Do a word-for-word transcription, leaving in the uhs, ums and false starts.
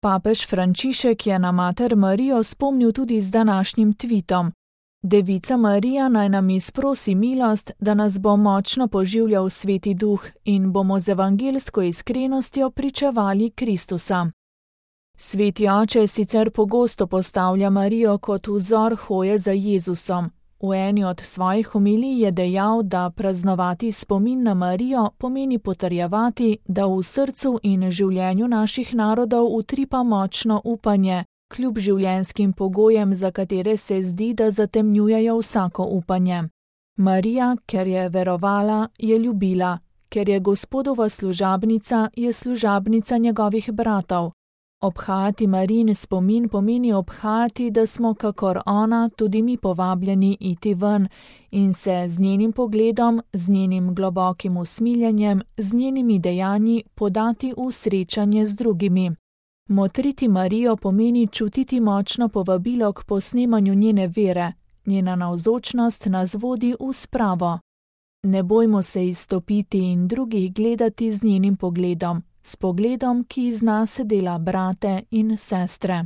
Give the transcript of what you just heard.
Papež Frančišek je na mater Marijo spomnil tudi z današnjim tvitom: Devica Marija naj nam izprosi milost, da nas bo močno poživljal Sveti Duh in bomo z evangeljsko iskrenostjo pričevali Kristusa. Sveti oče sicer pogosto postavlja Marijo kot vzor hoje za Jezusom. V eni od svojih homilij je dejal, da praznovati spomin na Marijo pomeni potrjevati, da v srcu in življenju naših narodov utripa močno upanje, kljub življenjskim pogojem, za katere se zdi, da zatemnjujejo vsako upanje. Marija, ker je verovala, je ljubila, ker je Gospodova služabnica, je služabnica njegovih bratov. Obhajati Marijin spomin pomeni obhajati, da smo kakor ona tudi mi povabljeni iti ven in se z njenim pogledom, z njenim globokim usmiljenjem, z njenimi dejanji podati v srečanje z drugimi. Motriti Marijo pomeni čutiti močno povabilo k posnemanju njene vere, njena navzočnost nas vodi v spravo. Ne bojmo se izstopiti in drugih gledati z njenim pogledom, s pogledom, ki iz nas dela brate in sestre.